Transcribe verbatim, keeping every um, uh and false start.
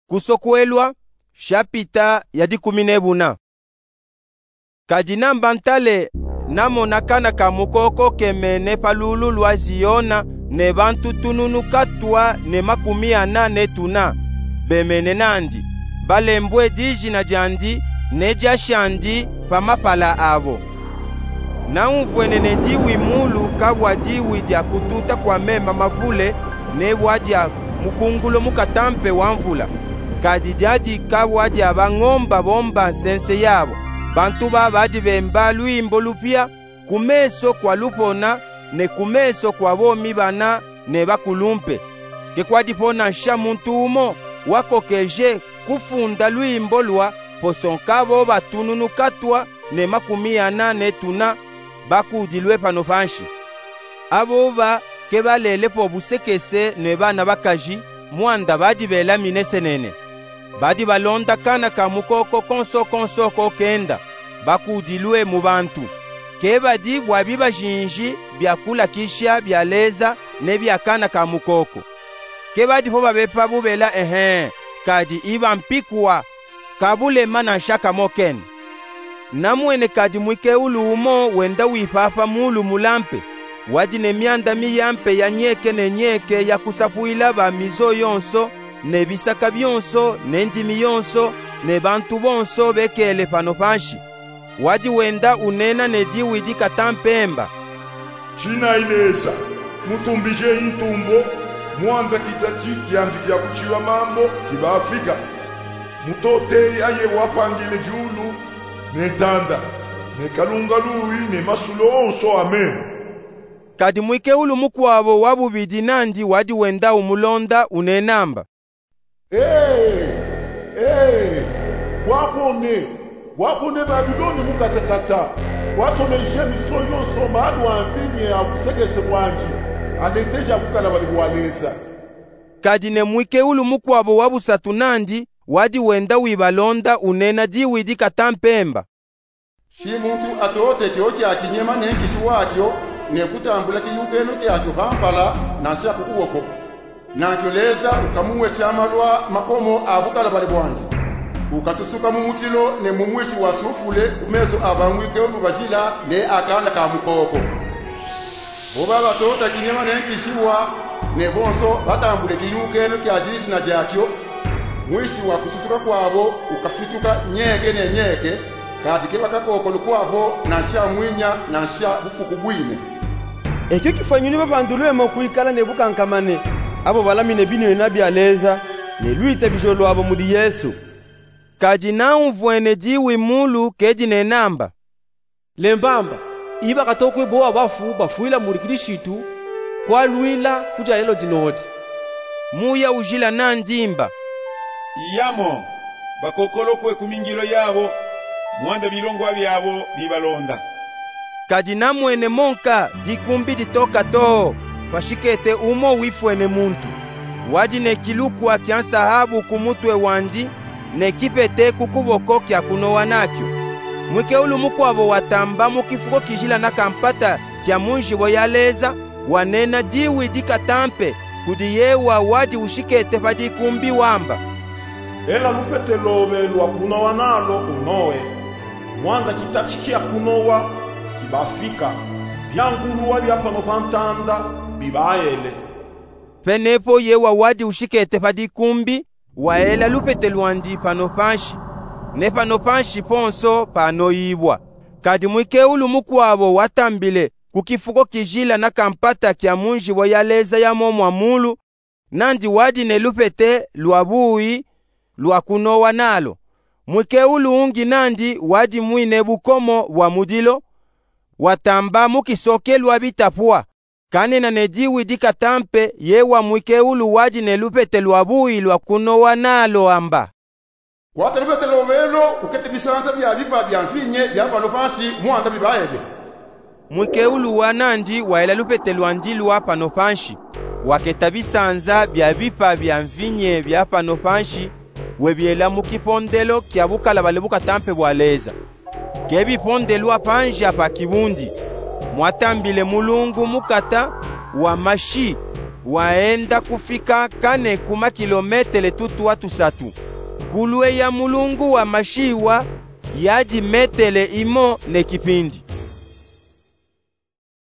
Kusokwelwa, shapita ya dikumi ne buna. Kadi namba ntale, namona kana ka mukooko kemene pa lulu lwa Ziona, ne bantu tununu katwa ne makumi ana ne tuna, bemene nandi, balembwe dijina diandi ne dia shandi pa mapala abo. Naumvwene ne diwi muulu kabwa diwi dia kututa kwa mema mavule, ne bwa dia mukungulo mukatampe wa mvula, kadi diadi kabwa dia bangomba bomba nsense yabo, bantu ba badi bemba lwimbo lupya ku meso kwa lupona, ne ku meso kwa bomi bana ne bakulumpe. Ke kwadipo nansha muntu umo wakokeje kufunda lwimbo lwa poso nkabo ba tununu katwa ne makumi ana ne tuna bakudilwe pano panshi. Abo ba ke balelepo busekese ne bana bakaji, mwanda badi belamine senene. Badi balonda kana ka mukooko konso konso ko kenda, bakudilwe mu bantu. Ke badi bwa biba jinji bya kulakisha bya leza ne bya kana ka mukooko. Ke badipo babepa bubela, ehe, kadi iba mpikwa, ka bulema nansha kamo kena. Namwene kadi mwikeulu umo wenda wipapa muulu mulampe, wadi ne myanda miyampe ya nyeke ne nyeke ya kusapwila ba mizo yonso, ne bisaka byonso, ne ndimi yonso, ne bantu bonso bekele pano panshi. Wadi wenda unena ne diwi dikatampe mba: Tinayi leza, mutumbije intumbo, mwanda kitati kyandi kya kuchiba mambo kibafika. Mutoteyi aye wapangile diulu, ne ntanda, ne kalunga luwi, ne masulu onso ameno. Kadi mwikeulu mukwabo wa bubidi nandi wadi wenda umulonda unena mba: Ee, ee, bwapone, bwapone Babilone mukatakata, bwatomeje mizo yonso malu a mvinye a busekese bwandi, aleteja bukalabale bwa leza. Kadi ne mwikeulu mukwabo wa busatu nandi wadi wenda wibalonda unena diwi dikatampe mba: Shi muntu atote kyo kya kinyema ne nkishi wakyo, ne kutambula kiyukeno kyakyo pampala, nansha ku kuboko, nankyo leza ukamwesha malwa makomo a bukalabale bwandi. Ukasusuka mu mutilo ne mu mwisi wa sufule ku meso a ba mwikeulu bajila ne a kana ka mukooko. Bo ba batota kinyema ne nkishiwa, ne bonso batambule kiyukeno kya dijina dyakyo, mwisi wa kususuka kwabo ukafituka nyeke ne nyeke, kadi ke bakakookolo kwabo nansha mwinya nansha bufuku bwine. Ekyo kifwa nyuni babandulwemo kwikala ne bukankamane, abo balamine binwina bya leza, ne lwitabijo lwabo mudi Yesu. Kadi naumvwene diwi muulu ke dinena mba: Lemba mba, iba katokwe bowa bafu bafwila mudi Kilishitu, kwalwila ku dya lelo dinodi. Muya ujila nandi mba: Iyamo, bakokolokwe ku mingilo yabo, mwanda bilongwa byabo bibalonda. Kadi namwene monka dikumbi ditoka too, pashikete umo wifwene muntu, wadi ne kilukwa kya nsahabu ku mutwe wandi, ne kipete ku kuboko kya kunowa nakyo. Mwikeulu mukwabo watamba mu kifuko kijila na kampata kya mu njibo ya leza, wanena diwi dikatampe kudi yewa wadi ushikete pa dikumbi wamba: Ela lupete lobe lwa kunowa nalo unowe, mwanda kitati kya kunowa kibafika, byangulwa bya pano pa ntanda bibaele. Penepo yewa wadi ushikete pa dikumbi waela lupete lwandi pano panshi, ne pano panshi ponso panoibwa. Kadi mwikeulu mukwabo watambile ku kifuko kijila na kampata kya mu njibo ya leza ya mo mwa muulu, nandi wadi ne lupete lwa buwi lwa kunowa nalo. Mwikeulu ungi nandi wadi mwine bukomo bwa mudilo, watamba mu kisokelwa bitapwa, kanena ne diwi dikatampe yewa mwikeulu wadi ne lupete lwa buwi lwa kunowa nalo amba: Kwata lupete lobe lo, ukete bisanza bya bipa bya mvinye bya pano panshi mwanda bibaele. Mwikeulu wa nandi waela lupete lwandi lwa pano panshi, waketa bisanza bya bipa bya mvinye bya pano panshi, webyela mu kipondelo kya bukalabale bukatampe bwa leza. Ke bipondelwa panji apa kibundi, mwatambile mulungu mukata wa mashi, waenda kufika kane ku makilometele tutwa tusatu. Ngulue ya mulungu wa Masiwa yadi metele imo ne kipindi.